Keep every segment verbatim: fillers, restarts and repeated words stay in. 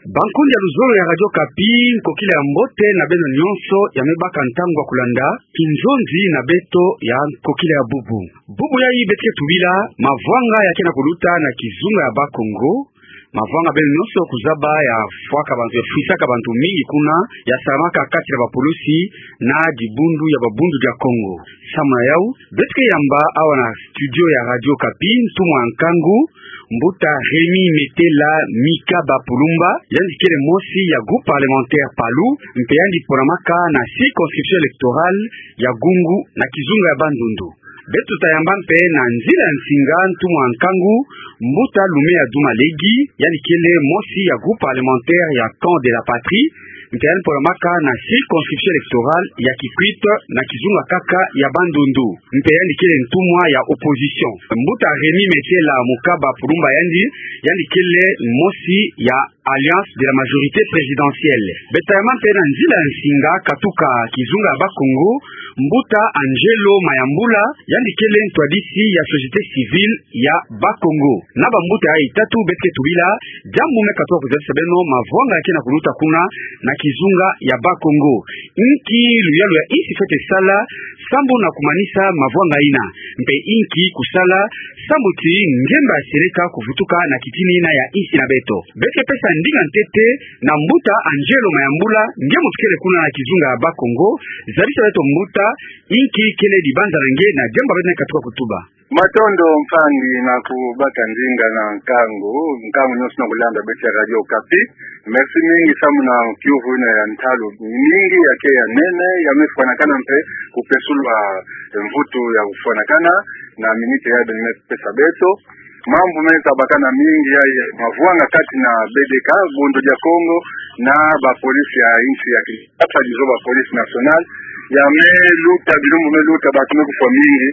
Bankundi ya luzolo ya Radio Okapi, nkokila ya mbote na beno nyonso ya me baka ntangu ya kulanda kinzonzi na beto ya nkokila ya bubu. Bubu yayi beto ke tubila mavwanga ya ke na kuluta na kizunga ya Bas-Congo, mavwanga beno nyonso kuzaba ya fwaka bantu, ya fwisaka bantu mingi kuna, ya salamaka kati na bapulusi na dibundu ya Babundu dia Kongo. Samu na yau, beto ke yamba awa na studio ya Radio Okapi ntumwa nkangu, Mbuta Rémy Metela Mikaba Pulumba, yandi kele mosi ya groupe parlementaire PALU, mpe yandi ponamaka na circonscription électorale ya Gungu na kizunga ya Bandundu. Beto ta yamba mpe na nzila ya nsinga ntumwa nkangu, Mbuta Lumea Duma Legi, yandi kele mosi ya groupe parlementaire ya Camp de la Patrie, mpe yandi ponamaka na circonscription électorale ya Kikwit na kizunga kaka ya Bandundu, mpe yandi kele ntumwa ya opposition. Mbuta Rémy Metela Mikaba Pulumba yandi, yandi kele mosi ya Alliance de la majorité présidentielle. Beto ta yamba mpe na nzila ya nsinga katuka kizunga ya Bas-Congo, Mbuta Angelo Mayambula, yandi kele ntwadisi ya société civile ya Bas-Congo. Na bambuta yayi tatu beto ke tubila, diambu me katuka kuzabisa beno mavwanga ya ke na kuluta kuna na kizunga ya Bas-Congo. Inki luyalu ya insi fwete sala sambu na kumanisa mavwanga yina, mpe inki kusala sambu ti ngemba ya seleka kuvutuka na kitini yina ya insi na beto. Beto ke pesa ndinga ntete na Mbuta Angelo Mayambula, nge muntu kele kuna na kizunga ya Bas-Congo. Zabisa beto mbuta, inki kele dibanza na nge na diambu beto me katuka kutuba. Matondo mpangi na kubaka ndinga na nkangu, nkangu nyonso na kulanda beto ya Radio Okapi. Merci mingi samu na kiuvu yina ya ntalu mingi ya ke ya nene, ya me fwanakana mpe kupesulwa mvutu ya kufwanakana na minute yayi beno me pesa beto. Mambu me zabakana mingi yayi mavwanga kati na B D K, Bundu dia Kongo, na bapolisi ya insi ya Kinshasa, disons bapolisi nationale, ya me luta, bilumbu me luta, bantu me kufwa mingi.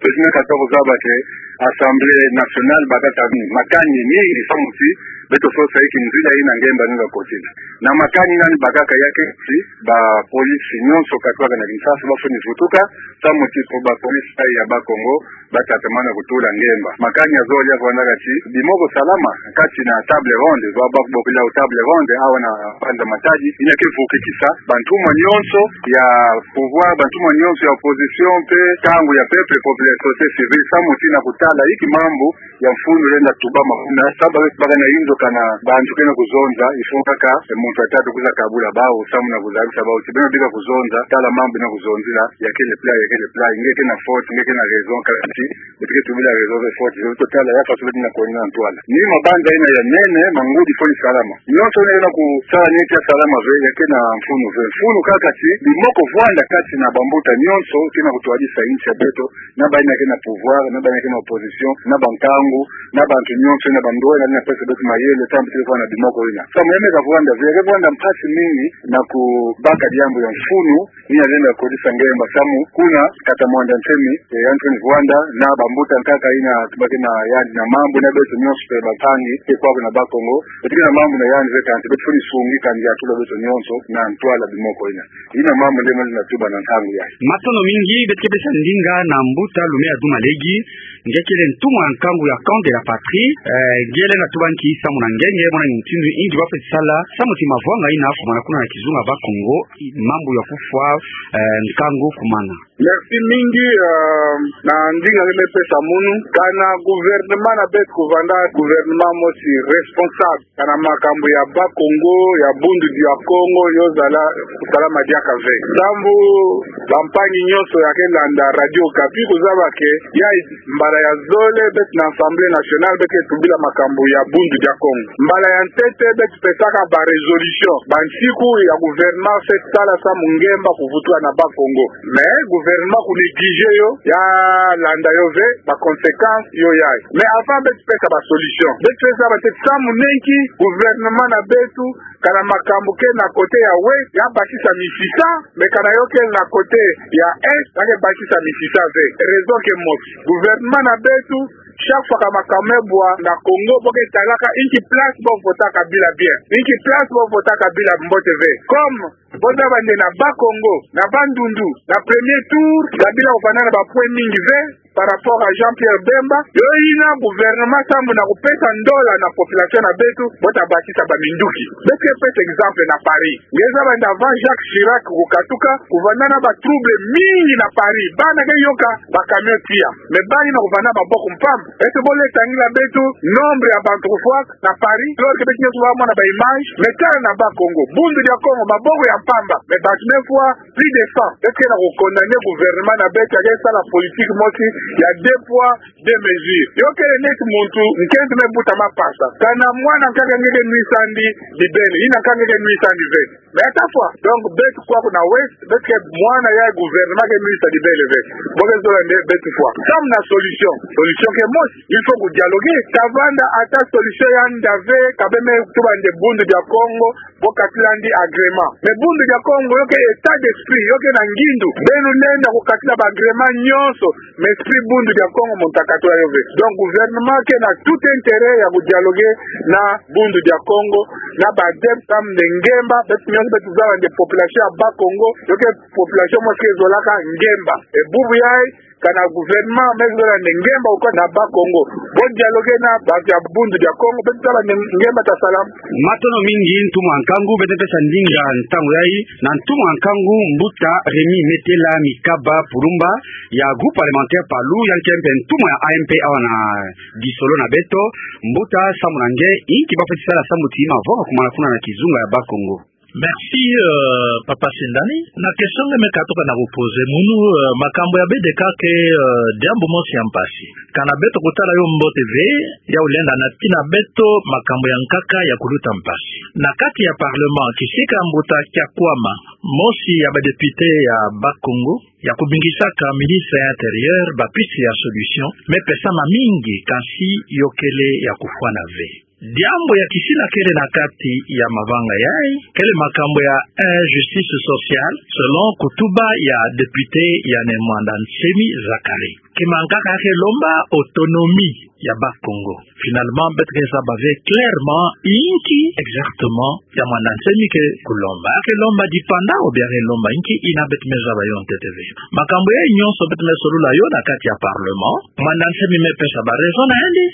Beto me katuka kuzaba que Assemblée nationale bakaka makani mingi samu ti beto sosa inki nzila yina ngemba yina kotila. Na makani yina ni bakaka ya ke ti bapolisi nyonso katwaka na Kinshasa bafweni vutuka, samu ti po bapolisi yayi ya Bas-Congo batatamana kutula ngemba. Makani ya zole ya vwandaka ti bimoko salama kati na table ronde, ba, ba, bokila table ronde, awa na mbanza Matadi, yina ke vukikisa bantumwa nyonso ya pouvoir, bantumwa nyonso ya opposition, mpe nkangu ya peuple populaire, société civile, samu ti na kutala inki mambu ya mfunu lenda tubama kuna, samu ba, bakana inzo kana bantu ke na kuzonza, il faut kaka, eh, muntu ya tatu kwiza kabula bawu, samu na kuzabisa bawu ti beno bika kuzonza, tala mambu na kuzonzila, ya kele plat, ya kele plat, nge ke na faute, nge ke na raison, kala ti, beto ke tubila raison ve faute, beto tala ya façon beto na koni na ntwala. Ni mabanza yina ya nene, mangudi fweni salama. Nyonso yina ke na kusala ni ya salama ve, ya ke na mfunu ve. Mfunu kaka ti bimoko vwanda kati na bambuta nyonso ke na kutwadisa insi ya beto, na bayina ke na pouvoir, na bayina ke na opposition, na bankangu, na bantu nyonso, na bandwala, na pesa beto mayele, samu ti ke vwanda bimoko yina. Samu ya me ka vwanda ve, ya ke vwanda mpasi mingi na kubaka diambu ya mfunu, ni ya lenda kotisa ngemba samu kuna kata Muanda Nsemi, eh, yandi fweni vwanda, na bambuta nkaka yina tubake na yandi na mambu na beto nyonso mpe bampangi, mpe kwaku na Bas-Congo, beto ke na mambu na yandi ve kansi, beto fweni sungi kansi ya tula beto nyonso na ntwala bimoko yina. Yina mambu nde mali na tuba na ntangu yayi. Matondo mingi, beto ke pesa ndinga na Mbuta Lumea Duma Legi, nge kele ntumwa nkangu ya Camp de la Patrie, eh, nge lenda tuba nki samu na nge, nge mona mutindu inki ba fweti sala, samu ti mavwanga yina fumana kuna na kizunga Bas-Congo, mambu ya kufwa, eh, nkangu kumana. Merci mingi, eh, na ndinga nge me pesa munu, kana gouvernement na beto kuvanda gouvernement mosi responsable. Kana makambu ya Bas-Congo, ya Bundu dia Kongo, yo zala kusalama diaka ve. Sambu bampangi nyonso ya ke landa Radio Okapi kuzaba ke, ya mbala ya zole, beto na Assemblée nationale, beto ke tubila makambu ya Bundu dia Kongo. Mbala ya ntete, beto pesaka ba résolution, bansiku ya gouvernement fweti sala samu ngemba kuvutuka na Bas-Congo. Mais gouvernement ku négliger yo, ya landa yo ve, ba conséquences yo yayi. Mais avant beto pesa ba solution, beto pesa ba tete samu nenki gouvernement na beto, kana makambu ke na côté ya ouest, ya bakisa misisa, mais kana yo ke na côté ya est, ya ke bakisa misisa ve. Raison ke mosi. Gouvernement na beto, chaque fois ka makambu me bwa na Congo, bo ke talaka inki place bo votaka bila bien, inki place bo votaka bila mbote ve. Comme bo zaba nde na Bas-Congo, na Bandundu, na premier tour, Kabila kuvanda na ba points mingi ve, par rapport à Jean-Pierre Bemba, yo ina gouvernement sambu na kupesa ndola na population na beto, bo ta bakisa ba minduki. Beto ke pesa exemple na Paris. Nge zaba nde avant Jacques Chirac kukatuka, kuvanda na ba trouble mingi na Paris. Bana ke yoka ba camion tia. Mais bana ina kuvanda maboko mpamba. Beto bo lenda tangila beto nombre ya bantu kufwaka na Paris. Alors que beto nyonso ba mona ba image. Mais tala na Bas-Congo. Bundu dia Congo, maboko ya mpamba. Mais bantu me fwa plus de cent. Beto ke na ku condamner gouvernement na beto ya ke sala politique mosi ya deux poids, deux mesures. Yo kele neti muntu nkento me buta mapasa. Kana mwana nkaka nge ke nwisa yandi bibele, ina nkaka nge ke nwisa yandi ve. Mais ata fwa. Donc, beto kwaku na Ouest, beto ke mwana ya gouvernement ke nwisa bibele ve. Bo ke zola nde beto fwa. Sambu na solution. Solution ke mosi, il faut ku dialoguer. Ta vanda ata solution ya nda ve, ka bê me tuba nde Bundu dia Congo bo katila yandi agrément. Mais Bundu dia Congo, yo ke état d'esprit, yo ke na ngindu. Beno lenda kukatila ba agrément nyonso, mais esprit Bundu dia Congo muntu akatula yo ve. Donc, gouvernement ke na tout intérêt ya ku dialoguer na Bundu dia Congo, na ba adeptes sambu nde ngemba, beto nyonso beto zaba nde population ya Bas-Congo, yo ke population mosi ke zolaka ngemba. E bubu yayi, kana gouvernement me zola nde ngemba okwa na Bas-Congo, bo dialoguer na bantu ya Bundu dia Congo, beto zaba nde ngemba ta salama. Matondo mingi, ntumwa nkangu. Beto pesa ndinga ntangu yayi na ntumwa nkangu, mbuta Rémy Metela Mikaba Pulumba, ya groupe parlementaire Palu, yandi ke mpe ntumwa ya A M P awa na Di Solo na beto. Mbuta, sambu na nge, inki ba fweti sala sambu ti mavova kumana kuna na kizunga ya Bas-Congo? Merci, euh, Papa Sindani. Na question nge me katuka na ku poser munu, euh, makambu ya B D K ke, euh, diambu mosi ya mpasi. Kana beto kutala yo mbote ve, ya ulenda na tina beto makambu ya nkaka ya kuluta mpasi. Na kati ya parlement, kisika mbuta Kiakwama, mosi ya ba députés ya Bas-Congo, ya kubingisaka ministre ya Intérieur ba piste ya solution, me pesa mamingi, kansi yo kele ya kufwana ve. Diambu ya kisina kele na kati ya mavanga yayi, kele makambu ya injustice sociale, selon kutuba ya député ya Ne Muanda Nsemi Zacharie. Ke mankaka ya ke lomba autonomie ya Bas-Congo. Finalement, beto ke zaba ve clairement inki exactement ya Muanda Nsemi ke kulomba. Ya ke lomba dipanda ou bien ya ke lomba inki, ina beto me zaba yo ntete ve. Makambu yayi nyonso beto me solola yo na kati ya parlement. Muanda Nsemi me pesa ba raison na yandi.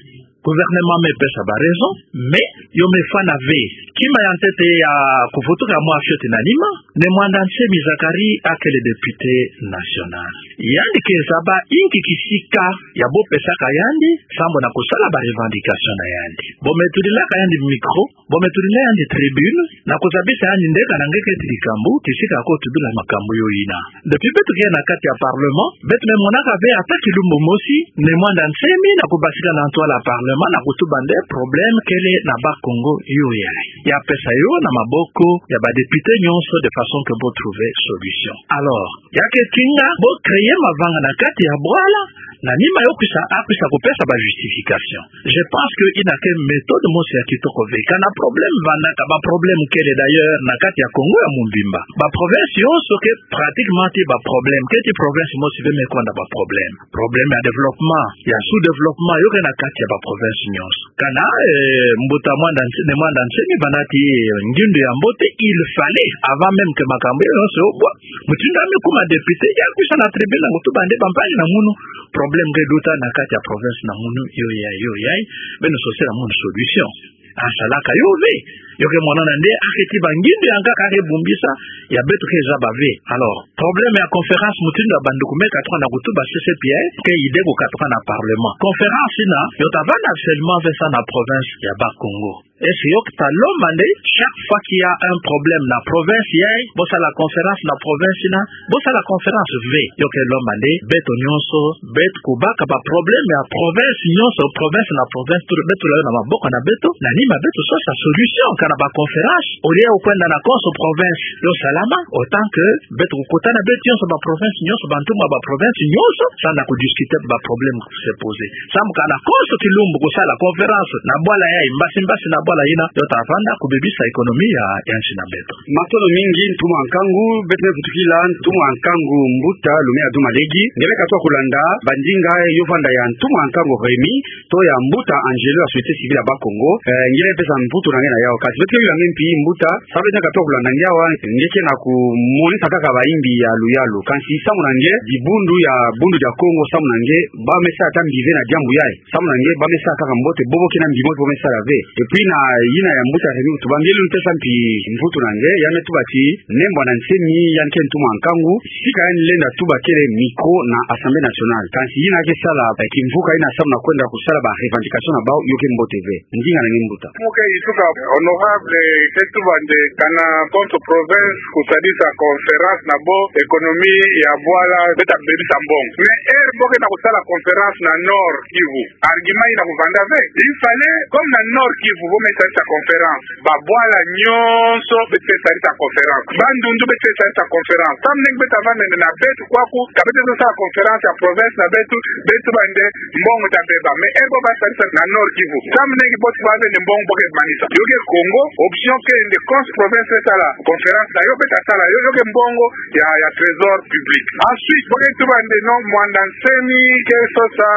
Gouvernement me pesa ba raison, mais yo me fwana ve. Kima ya ntete ya kuvutuka mwa fioti na nima, Ne Muanda Nsemi Zacharie akele député national. Yandi ke zaba inki kisika ya bo pesaka yandi sambu na kusala ba revendication na yandi. Bo me tulilaka yandi micro, bo me tulila yandi tribune, na kuzabisa yandi nde kana nge keti likambu, kisika ako tubila makambu yo ina. Depuis beto ke na kati ya parlement, beto me monaka ve ata kilumbu mosi Ne Muanda Nsemi na kubasika na ntwala ya parlement na kutuba nde problème kele na Bas-Congo yo yayi. Ya pesa yo na maboko ya ba députés nyonso de façon que bo trouver solution. Alors, ya ke tinga bo créer mavanga na kati ya bwala, na nima yo kwisa, akwisa kupesa ba justification. Je pense que ina ke méthode mosi ya kitoko ve. Kana problème vandaka, ba problème kele d'ailleurs na kati ya Congo ya mobimba. Ba province nyonso ke pratiquement ti ba problème. Keti province mosi ve me kwenda ba problème. Problème ya développement, ya sous-développement, yo ke na kati ya ba province nyonso. Kana, eh, mbuta Muanda Nse-, Ne Muanda Nsemi vanda ti, eh, ngindu ya mbote, il fallait, avant même que makambu yo nyonso yo bwa, mutindu ya me kuma député, ya kwisa na tribune na kutuba nde bampangi na munu, problème nge luta na kati ya province na munu, yo yayi, yo yayi, beno sosela munu solution. Asalaka yo ve. Yo ke monana nde, ake ti ba ngindu ya nkaka ake bumbisa, ya beto ke zaba ve. Alors, problème ya conférence mutindu ya banduku me katuka na kutuba C C P I, ke idée ko katuka na parlement. Conférence ina, yo ta vanda seulement ve sa na province ya Bas-Congo. Est-ce que yo ke ta lomba nde, chaque fois qu'il y a un problème na province yayi, bo sala conférence na province ina, bo sala conférence ve. Yo ke lomba nde, beto nyonso, beto kubaka ba problème ya province nyonso, province na province, tu-, beto tula yo na maboko na beto, na nima beto sosa solution, kana ba conférence, au lieu ya kwenda na konso province, yo salama, autant que beto kukutana beto nyonso ba province nyonso, bantu ya ba province nyonso, samu na kudiscuter ba problème ku se poser. Samu kana konso kilumbu kusala conférence na bwala yayi, mbasi mbasi na bwala ina, yo ta vanda kubebisa économie ya, ya nsi na beto. Matondo mingi, ntumwa nkangu, beto me vutukila ntumwa nkangu mbuta Lumea Duma Legi, nge me katuka kulanda ba ndinga yo vanda ya ntumwa nkangu Rémy, to ya mbuta Angelo ya société civile ya Bas-Congo, eh, nge me pesa mvutu na nge na yawu ka Beto ke yula nge mpi mbuta, salu beto ke toko landa nge awa, nge ke na kumonisa kaka bayimbi ya luyalu. Kansi samu na nge, dibundu ya Bundu dia Kongo samu na nge, ba me sa ata mbi ve na diambu yayi. Samu na nge, ba me sa kaka mbote, bobo kina mbi mbote bo me sala ve. Et puis na yina ya mbuta Rémy kutuba, nge luni pesa mpi mvutu na nge, ya me tuba ti, Ne Muanda Nsemi, yandi ke ntumwa nkangu, sika yandi lenda tuba kele micro na Assemblée nationale. Kansi yina ke sala, eh, kimvuka yina samu na kwenda kusala ba revendication na bawu, yo ke mbote ve. Ndinga na nge mbuta. Mo ke ituka honorable ke tuba nde kana contre-province kusadisa conférence na bo économie ya bwala beta bebisa mbongo. Mais heure bo ke na kusala conférence na Nord Kivu, argument yina kuvanda ve. Il fallait, comme na Nord Kivu, bo me sadisa conférence, babwala nyonso beto ke sadisa conférence. Bandundu beto ke sadisa conférence. Samu nge beto avanda nde na beto kwaku, ka beto sala conférence ya province na beto, beto tuba nde mbongo ta beba. Mais heure bo ba sadisa na Nord Kivu, samu nge bo tuba ve nde mbongo bo ke manisa. Yo ke Congo, option ke nde contre-province ke sala conférence na yo, beta sala yo, yo ke mbongo ya, ya trésor public. Ensuite, bo ke tuba nde non, Muanda Nsemi ke sosa,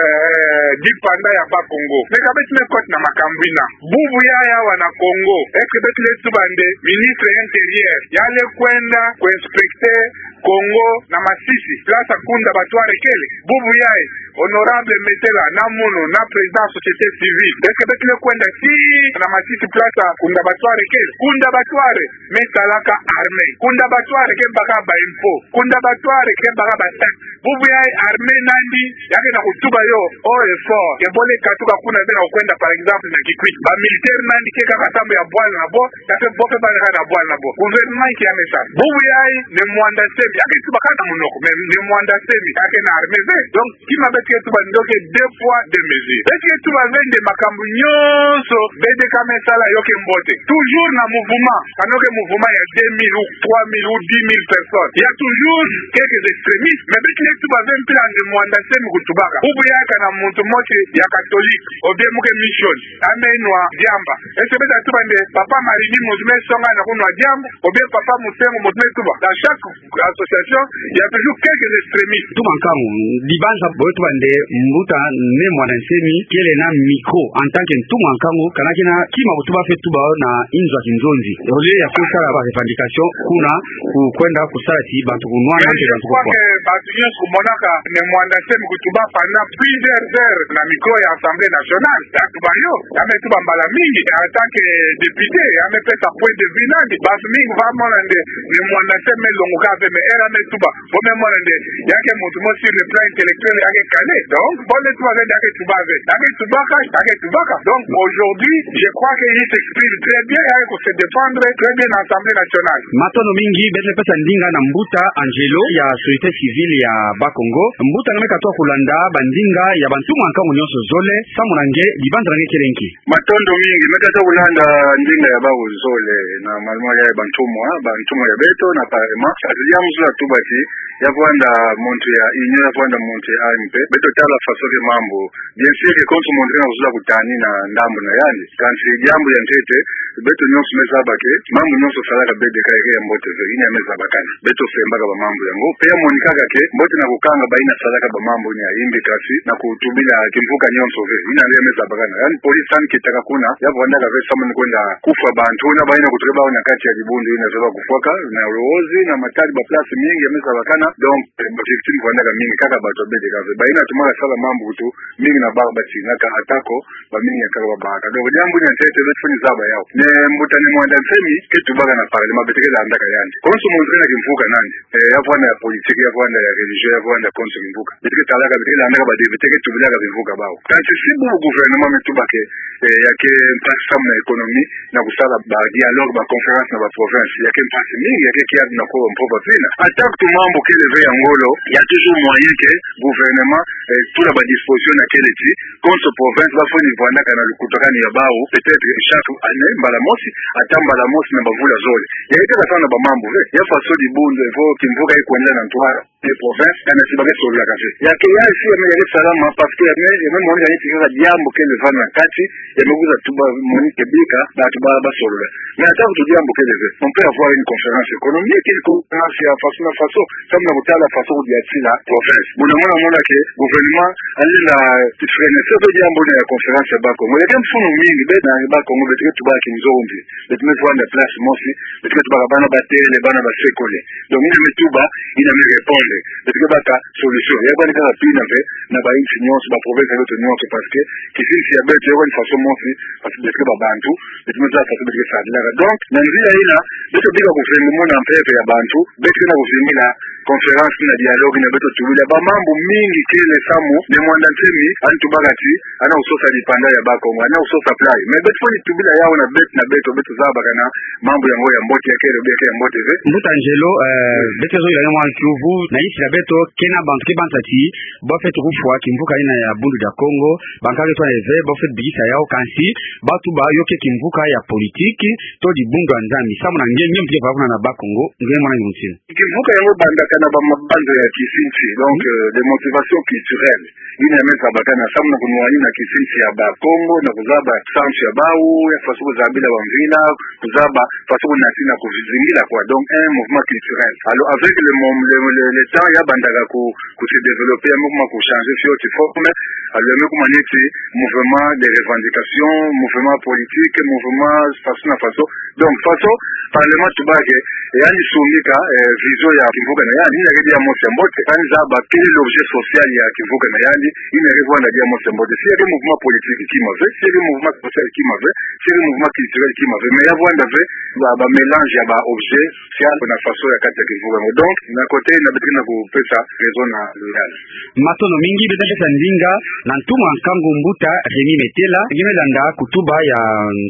eh, dipanda ya Bas-Congo. Mais ka beto me kota na makambu yina. Bubu yayi awa na Congo, est-ce que beto lenda tuba nde ministre intérieur ya lenda kwenda ku inspecter Congo na Masisi, place Kunda Batware kele? Bubu yayi, honorable Metela na munu na président société civile, est-ce que beto lenda kwenda tii na Masisi, place Kunda Batware kele? Kunda Batware me salaka armée. Kunda Batware ke baka ba impôt. Kunda Batware ke baka ba taxe. Bubu yayi armée na yandi ya ke na kutuba yo haut et fort ke bo lenda katuka kuna, beno kwenda, par exemple, na Kikwit. Ba militaire na yandi ke kaka samu ya bwala na bo, ya ke bo ke bwala na bwala na bo. Gouvernement ke ya me sa. Bubu yayi Ne Muanda Nsemi ya ke tuba kaka na munoko, mais Ne Muanda Nsemi ya ke na armée ve. Donc, kima beto ke tuba nde yo ke deux poids, deux mesures. Beto ke tuba ve nde makambu nyonso B D K me sala yo ke mbote. Toujours na mouvement, kana yo ke mouvement ya deux mille ou trois mille ou dix mille personnes, il y a toujours quelques extrémistes. Mais beto lenda tuba ve mpila nde Muanda Nsemi kutubaka. Bubu yayi kana muntu mosi ya catholique, ou bien mu ke mission, ya me nwa diamba, est-ce que beta tuba nde Papa Maridi muntu me songa na kunwa diamba, ou bien Papa Monsengwo muntu me tuba? Dans chaque association, il y a toujours quelques extrémistes. Ntumwa nkangu, dibanza bo tuba nde mbuta Ne Muanda Nsemi kele na micro en tant que ntumwa nkangu, kana kina kima kutuba fweti tuba yo na inzo ya kinzonzi. Au lieu ya kusala ba revendication kuna, ku-, kwenda kusala ti bantu kunwana, mais bantu kufwa. Bato nyonso kumonaka Ne Muanda Nsemi kutuba pendant plusieurs heures na micro ya Assemblée nationale. Ya tuba yo, ya me tuba mbala mingi, en tant que député, ya me pesa point de vue na yandi. Bato mingi ba mona nde Ne Muanda Nsemi me longoka ve, mais heure ya me tuba, bo me mona nde ya ke muntu mosi sur le plan intellectuel ya ke calé. Donc, bo lenda tuba ve nde ya ke tuba ve. Ya ke tubaka, ya ke tubaka. Donc, aujourd'hui, je crois qu'il s'exprime très bien, ya ke ku se défendre très bien na Assemblée nationale. Matondo mingi, beto lenda pesa ndinga na mbuta Angelo ya société civile ya Bas-Congo. Mbuta, nge me katuka kulanda bandinga ya bantumwa nkangu nyonso zole, samu na nge, dibanza na nge kele nki? Matondo mingi, me katuka kulanda ndinga ya bawu zole, na malemole ya bantumwa, bantumwa ya beto na parlement. Kansi diambu zula tuba ti, ya vwanda muntu ya Union, ya vwanda muntu ya A M P. Beto tala façon ke mambu. Bien sûr que contre muntu ke na kuzula kutani na ndambu na yandi. Kansi diambu ya ntete, beto nyonso me zaba que mambu nyonso salaka B D K ya ke ya mbote ve, yina ya me zabakana. Beto sembaka ba mambu yango. Pe ya monikaka que mbote na kukanga bayina salaka ba mambu ni ya imbi, kansi na kutubila kimvuka nyonso ve. Yina nde ya me zabakana. Yandi police yandi ketaka kuna, ya vwandaka ve samu ni kwenda kufwa bantu, na bayina kutuka bawu na kati ya dibundu yina zaba kufwaka, na Luozi, na Matadi, ba place mingi ya me zabakana. Donc, eh, ba victime vwandaka mingi, kaka bato ya B D K ve. Bayina tumaka sala mambu kutu, mingi na bawu batinaka, atako ba mingi ya kaka babaka. Donc, diambu ni ya ntete, beto fweni zaba yawu. Ne mbuta Ne Muanda Nsemi ke tubaka na parlement, beto ke landaka yandi. Contre muntu ke na kimvuka na yandi. Eh, ya vwanda ya politique, ya vwanda ya religion, ya vwanda contre kimvuka. Beto ke talaka, beto ke landaka ba député ke tubilaka bimvuka bawu. Kansi si bubu gouvernement me tuba que, eh, ya ke mpasi samu na économie, na kusala ba dialogue, ba conférence na ba province, ya ke mpasi mingi, ya ke kiadi na ko mpova pina. Atako mambu kele ve ya ngolo, il y a toujours moyen que gouvernement, eh, tula ba disposition na kele ti, contre province, ba fweni vwandaka na lukutakanu ya bawu, peut-être chaque année, mbala mosi, ata mbala mosi na bamvula zole. Ya ke tala samu na ba mambu ve, ya façon dibundu, evo kimvuka ikwenda na ntwala, les provinces, kana si ba ke sololaka ve. Ya ke ya si ya me ya ke salama, parce que ya me, ya me monika neti kaka diambu kele vanda na kati, ya me kwiza tuba monika bika, bato ba, ba solola. Mais atako diambu kele ve, on peut avoir une conférence économique, une conférence ya façon na façon, samu na kutala façon kudiatila province. Buna mona mona que Gouvernement alenda kifreiner soki diambu na ya conférence ya Bas-Congo. Ya ke mfunu mingi, beto na Bas-Congo beto ke tubaka kinzombi. Beto me vwanda place mosi, beto ke tubaka bana batele, bana basekole. Donc, yina me tuba, yina me répondre. Beto ke baka solution. Ya bani kaka pina ve, na ba insi nyonso, ba province ya beto nyonso, parce que kisinsi ya beto, ya bani façon mosi, parce que beto ke babantu, beto me zaba façon beto ke sadilaka. Donc, na nzila yina, beto bika kuvingila mona mpeve ya bantu, beto ke na kuvingila conférence na dialogue na beto tubila ba mambu mingi kele samu Ne Muanda Nsemi, ani tubaka ti, ana kusosa dipanda ya Bas-Congo, ana kusosa plan. Mais beto fwani tubila yawu na beto na beto, beto zabakana mambu yango ya mbote ya kele, ya kele mbote ve. Mbuta Angelo, eh, beto zolila mwa kiuvu, na insi ya beto, kena bantu ke banza ti, bafweti kufwa kimvuka yina ya Bundu dia Kongo, bankaka ke twa na ye ve, bafweti bikisa yawu kansi, batuba yo ke kimvuka ya politique, to dibundu ya Nzambi, samu na nge, nge mpe ke vava kuna na Bas-Congo, nge mwana nge mutinu. Kimvuka yango ebandaka na ba mabanza ya kisinsi, donc, euh, des motivations culturelles. Yina ya me zabakana samu na kunwanina kisinsi ya Bakongo, na kuzaba sansu ya bawu, ya façon kuzabila bamvila, kuzaba façon kunatina kuvizingila quoi. Donc, un mouvement culturel. Alors, avec le mom-, le, le, le temps, ya bandaka ku, ku se développer, ya me kuma ku changer fioti forme. Alors, ya me kuma neti mouvement de revendication, mouvement politique, mouvement façon na façon. Donc, façon, parlement tubaka, e, yandi sungika, e, vision ya kimvuka na yandi, yina ke dia mosi ya mbote, kani zaba quel est l'objet social ya kimvuka na yandi, yina ke vwanda dia mosi ya mbote. Si ya ke mouvement politique kima ve, si ya ke mouvement social kima ve, si ya ke mouvement culturel kima ve, mais ya vwanda ve, ba, ba mélange ya ba objet social na façon ya kati ya kimvuka. Donc, na côté, na beto ke na kupesa raison na Loyal. Matondo mingi, beto pesa ndinga na ntumwa nkangu mbuta Rémy Metela, nge me landa kutuba ya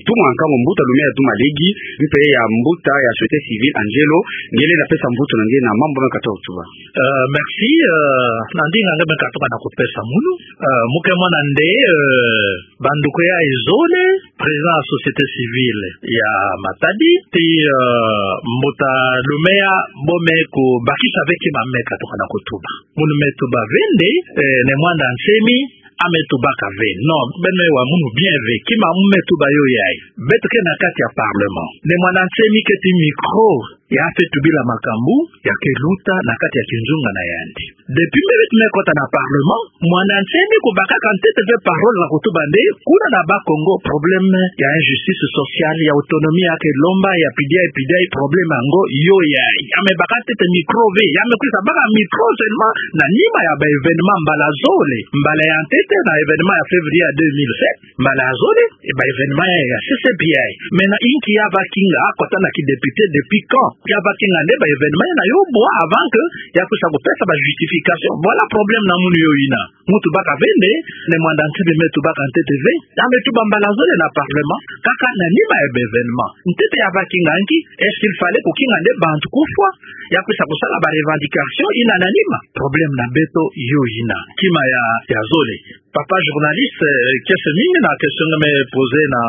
ntumwa nkangu mbuta Lumeya Duma Legi, mpe ya mbuta ya société civile Angelo, nge lenda pesa mvutu na nge na mambu me katuka kutuba. Euh, merci, euh, na ndinga nge me katuka na kupesa munu, euh, mu ke mona nde, euh, banduku ya zole, président ya société civile ya Matadi, ti, euh, mbuta Lumeya, bo me kubakisa ve kima me katuka na kutuba. Munu me tuba ve nde, eh, Ne Muanda Nsemi, a me tubaka ve. Non, beno me wa munu bien ve. Kima mu me tuba yo yayi. Beto ke na kati ya parlement. Ne Muanda Nsemi keti micro ya fweti tubila makambu ya ke luta na kati ya kinzunga na yandi. Depuis mbe beto me kota na parlement, Muanda Nsemi kubakaka ntete ve parole na kutuba nde, kuna na Bas-Congo problème ya injustice sociale, ya autonomie ya ke lomba, ya pidiai, pidiai, problème yango yo yayi. Ya me baka ntete micro ve, ya me kwisa baka micro seulement na nima ya ba événement mbala zole. Mbala ya ntete na événement ya février ya deux mille sept, mbala ya zole, e ba événement ya, ya C C B I. Maintenant, inki ya va kinga, a kota na ki député depuis quand? Ya va kinga nde ba événement yina yo bwa avant que ya kwisa kupesa ba justification. Voilà problème na munu yo yina. Mu tubaka ve nde, Ne Muanda Nsemi me tubaka ntete ve, ya me tuba mbala zole na parlement, kaka na nima ya ba événement. Ntete ya va kinga nki, est-ce qu'il fallait kukinga nde bantu kufwa, ya kwisa kusala ba revendication yina na nima? Problème na beto yo yina. Kima ya, ya zole. Papa journaliste, euh, kiese mingi na question nge me poser na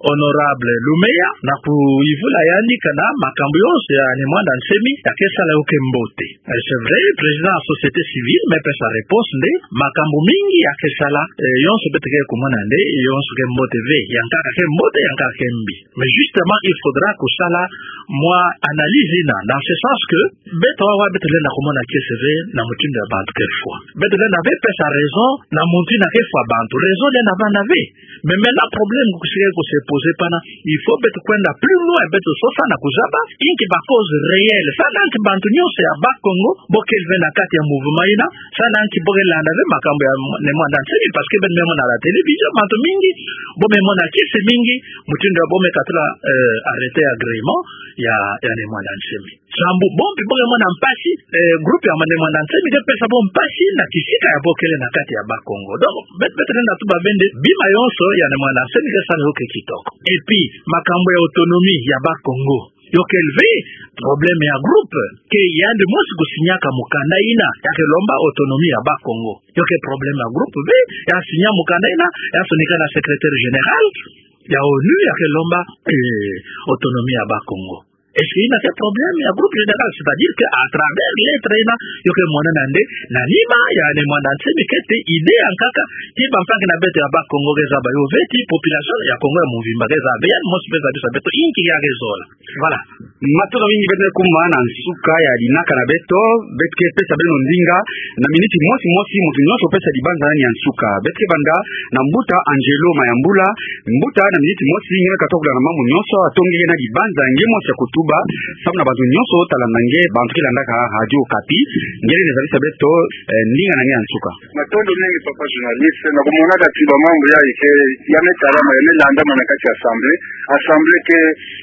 honorable Lumeya, na kuyuvula yandi kana makambu yonso ya Ne Muanda Nsemi ya ke sala yo ke mbote. Euh, c'est vrai, président ya société civile me pesa réponse nde, makambu mingi ya ke sala, euh, yonso beto ke kumona nde, yonso ke mbote ve, ya nkaka ke mbote, ya nkaka ke mbi. Mais justement, il faudra kusala mwa analyse yina, dans ce sens que, beto wawa beto lenda kumona kiese ve na mutindu ya bantu ke fwa. Beto lenda ve pesa raison na mutindu ya ke fwa bantu. Raison lenda vanda ve. Mais maintenant, problème kusike ku se poser pana, il faut beto kwenda plus loin, beto sosa na kuzaba inki ba cause réelle. Samu na nki bantu nyonso ya Bas-Congo, bo kele ve na kati ya mouvement yina, samu na nki bo ke landa ve makambu ya Ne Muanda Nsemi, parce que beno me mona na la télévision, bantu mingi, bo me mona kiese mingi, mutindu ya bo me katula, euh, arrêter agrément ya, ya Ne Muanda Nsemi. Sambu bo mpe bo ke mona mpasi, euh, groupe ya Ne Muanda Nsemi ke pesa bo mpasi na kisika ya bo kele na kati ya Bas-Congo. Donc, bet-, beto lenda tuba ve nde, bima yonso ya Ne Muanda Nsemi ke sala yo ke kitoko. Et puis, makambu ya autonomie ya Bas-Congo, yo kele ve problème ya groupe, ke yandi mosi kusignaka mukanda yina ya ke lomba autonomie ya Bas-Congo. Yo ke problème ya groupe ve, ya signa mukanda yina, ya sonika na secrétaire général ya onu ya ke lomba, eh, autonomie ya Bas-Congo. Est-ce que yina ke problème ya groupe général? C'est-à-dire que à travers lettre yina, yo ke mona nde, na nima ya Ne Muanda Nsemi keti idée ya nkaka, ti bampangi na beto ya Bas-Congo ke zaba yo ve, ti population ya Congo ya mvimba ke zaba ve, yandi mosi mpe zabisa beto inki ya ke zola. Voilà. Matondo mingi, beto ke kuma na nsuka ya dinaka na beto. Beto ke pesa beno ndinga na miniti mosi mosi, muntu nyonso pesa dibanza na ni ya nsuka. Beto ke banda na mbuta Angelo Mayambula. Mbuta, na miniti mosi, nge me katuka kulanda mambu nyonso, ato nge na dibanza nge mosi ya kutuba samu na bantu nyonso ta landa nge, bantu ke landaka Radio Okapi. Nge lenda zabisa beto, eh, ndinga na nge ya nsuka. Matondo mingi, papa journaliste. Na kumonaka ti bamambu yayi ke ya me talama, ya me landama na kati ya assemblée. Assemblée ke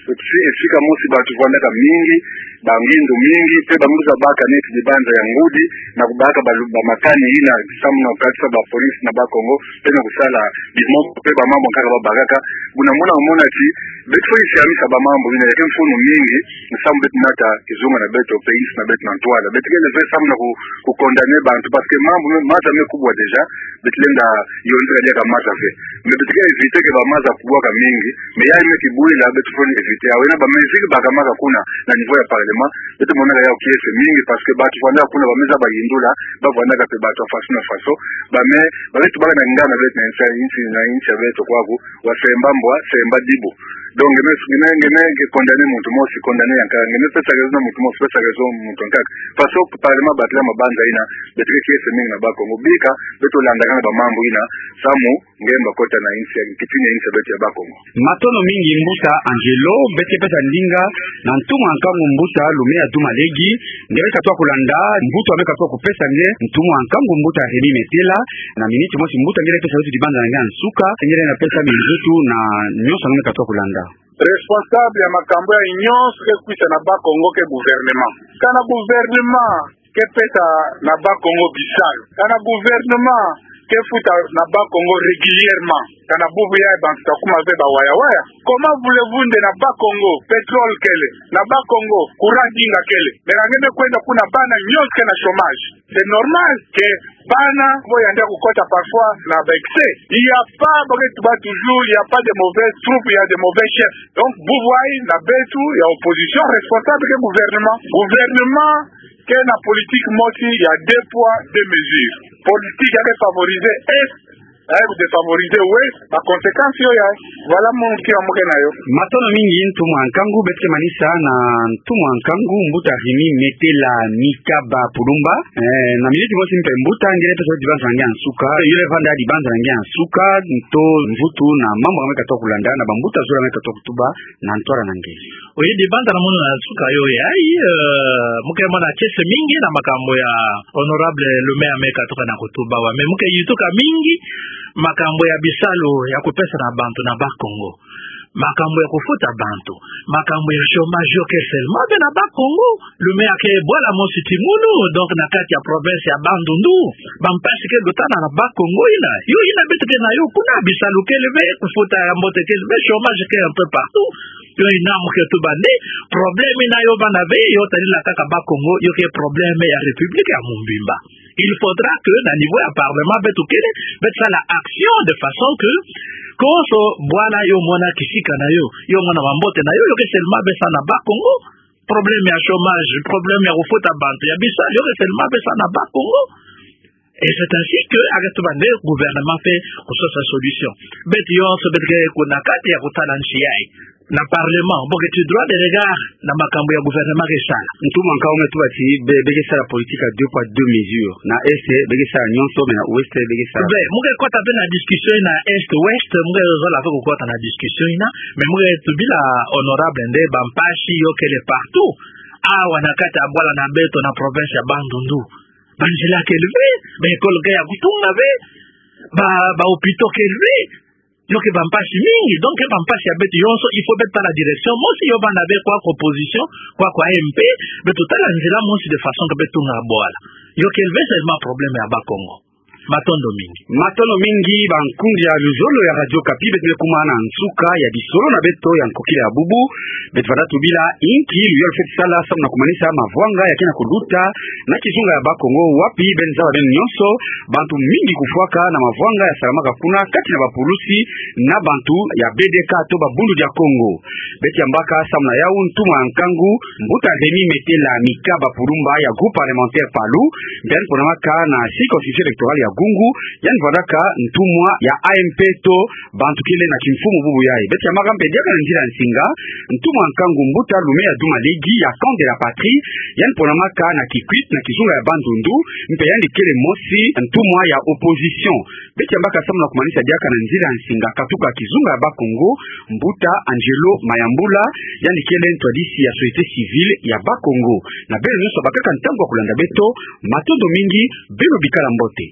si-, esika mosi bantu vwandaka mingi, bangindu mingi, pe bambuta baka neti dibanza ya ngudi, na kubaka balu-, bamakani yina, samu na kukatisa bapolisi na Bas-Congo, pe na kusala bimombo, pe bamambu nkaka babakaka. Buna muna kumona ti, beto fweti siamisa bamambu yina, ya ke mfunu mingi, samu beto nata kizunga na beto, pe insi na beto na ntwala. Beto kele ve samu na ku-, kukondamner bantu, parce que mambu me, maza me kubwa déjà, beto lenda yonzeka diaka maza ve. Mais beto ke éviter que bamaza kubwaka mingi, mais yayi me kibwila, beto fweti éviter. Awu yina bamesure bakamaka kuna na niveau ya parlement, beto monaka yawu kiese mingi, parce que bantu vwandaka kuna ba me zaba yindula, bavwandaka pe bantu ya façon na façon, ba me, ba me tubaka na ngana beto na insi, insi, na insi ya beto kwaku, wa semba mbwa, semba dibu. Donc, nge me, nge me, nge me, nge condamner muntu mosi, condamner ya nkaka, nge me pesa raison na muntu mosi, pesa raison muntu ya nkaka. Façon parlement batela mabanza yina, beto ke kiese mingi na Bas-Congo. Bika, beto landakana bamambu yina, samu nge mba kota na insi ya, kipini ya insi ya beto ya Bas-Congo. Matondo mingi, mbuta Angelo. Beto ke pesa ndinga na ntumwa nkangu, mbuta Lumeya Dumalegi. Nge me katuka kulanda, mbuta me katuka kupesa nge ntumwa nkangu, mbuta Remy Metela. Na miniti mosi, mbuta, nge lenda pesa beto dibanza na nge ya nsuka, nge lenda pesa minzutu na nyonso nge me katuka kulanda. Responsable ya makambu yayi nyonso ke kwisa na Bas-Congo ke gouvernement. Kana gouvernement ke pesa na Bas-Congo bisalu, kana gouvernement ke futa na Bas-Congo régulièrement, kana bubu yayi bantu ta kuma ve bawaya-waya. Comment voulez-vous nde na Bas-Congo pétrole kele, na Bas-Congo courant dinga kele, mais nge me kwenda kuna bana nyonso ke na chômage? C'est normal que bana bo yandi ya kukota parfois na ba excès. Il y a pas, bo ke tuba toujours, il y a pas de mauvaises troupes, il y a de mauvais chefs. Donc, bubu yayi na beto ya opposition, responsable ke gouvernement. Gouvernement ke na politique mosi ya deux poids, deux mesures. Politique ya ke favoriser Est, ya ke défavoriser Ouest, ba conséquences yo yayi. Voilà, mu nkia mu ke na yo. Matondo mingi, ntumwa nkangu. Beto ke manisa na ntumwa nkangu, mbuta Remy Metela Mikaba Pulumba. Eh, na miniti mosi mpe, mbuta, nge lenda pesa dibanza na nge ya nsuka, yo lenda vanda dibanza na nge ya nsuka, nto mvutu na mambu nge me katuka kulanda, na bambuta zola me katuka kutuba na ntwala na nge. Oui, dibanza na mono na nsuka yo yayi, eh, mu ke mona kiese mingi na makambu ya honorable Lumeya me katuka na kutuba, wa, mais mu ke yituka mingi makambu ya bisalu ya kupesa na bantu na Bas-Congo. Makambu ya kufuta bantu, makambu ya chômage, yo ke seulement ve na Bas-Congo. Lumeya ke bwala mosi ti ngunu, donc na kati ya province ya Bandundu, bampasi ke dotana na Bas-Congo yina. Yo yina beto ke na yo kuna, bisalu kele ve, kufuta ya mbote kele ve, chômage ke un peu partout. Yo yina mu ke tuba nde, problème yina yo vanda ve, yo talila kaka Bas-Congo, yo ke problème ya République ya mobimba. Il faudra que na niveau ya parlement beto kele, beto sala action de façon que konso bwala yo mona kisika na yo, yo mona mambote na yo, yo ke seulement ve sa na Bas-Congo. Problème ya chômage, problème ya kufuta bantu, ya bisalu, yo ke seulement ve sa na Bas-Congo. Et c'est ainsi que, ake tuba nde, gouvernement fweti kusosa solution. Beto yonso beto ke kuna kati ya kutala nsi yayi. Na parlement, bo ke ti droit de regard na makambu ya gouvernement ke sala. Ntumwa nkangu, me tuba ti be, be ke sala politique ya deux poids, deux mesures. Na Est, be ke sala nyonso, mais na Ouest, be ke sala. Be, mu ke kota ve na discussion na Est, Ouest, mu ke zola ve kukota na discussion yina, mais mu ke tubila honorable nde, bampasi yo kele partout. Awa na kati ya bwala na beto na province ya Bandundu, banzila kele ve, ba école ke ya kutunga ve, ba, ba hôpitaux kele ve, yo ke bampasi mingi. Donc, ke bampasi ya beto yonso, il faut beto tala direction mosi, yo vanda ve kwa opposition, kwa, kwa M P, beto tala nzila mosi de façon que beto tunga bwala. Yo kele ve seulement problème ya Bas-Congo. Matondo mingi. Matondo mingi, bankunzi ya luzolo ya Radio Okapi, beto me kuma na nsuka ya bisolo na beto ya nkokila ya bubu. Beto vanda tubila inki luyolo fweti sala samu na kumanisa mavwanga ya ke na kuluta na kizunga ya Bas-Congo, wapi beno zaba beno nyonso, bantu mingi kufwaka na mavwanga ya salamaka kuna kati na bapulusi na bantu ya B D K to ba Bundu dia Kongo. Beto yambaka samu na yawu ntumwa nkangu, mbuta Remy Metela Mikaba Pulumba ya groupe parlementaire PALU, mpe yandi ponamaka na circonscription électorale ya Gungu, yandi vwandaka ntumwa ya A M P to bantu kele na kimfumu bubu yayi. Beto yambaka mpe diaka na nzila ya nsinga ntumwa nkangu mbuta Lumea Duma Legi ya Camp de la Patrie, yandi ponamaka na Kikwit na kizunga ya Bandundu, mpe yandi kele mosi ntumwa ya opposition. Beto yambaka samu na kumanisa diaka na nzila ya nsinga katuka kizunga ya Bakongo, mbuta Angelo Mayambula, yandi kele ntwadisi ya société civile ya Bakongo. Na beno nyonso bakaka ntangu ya kulanda beto, matondo mingi, beno bikala mbote.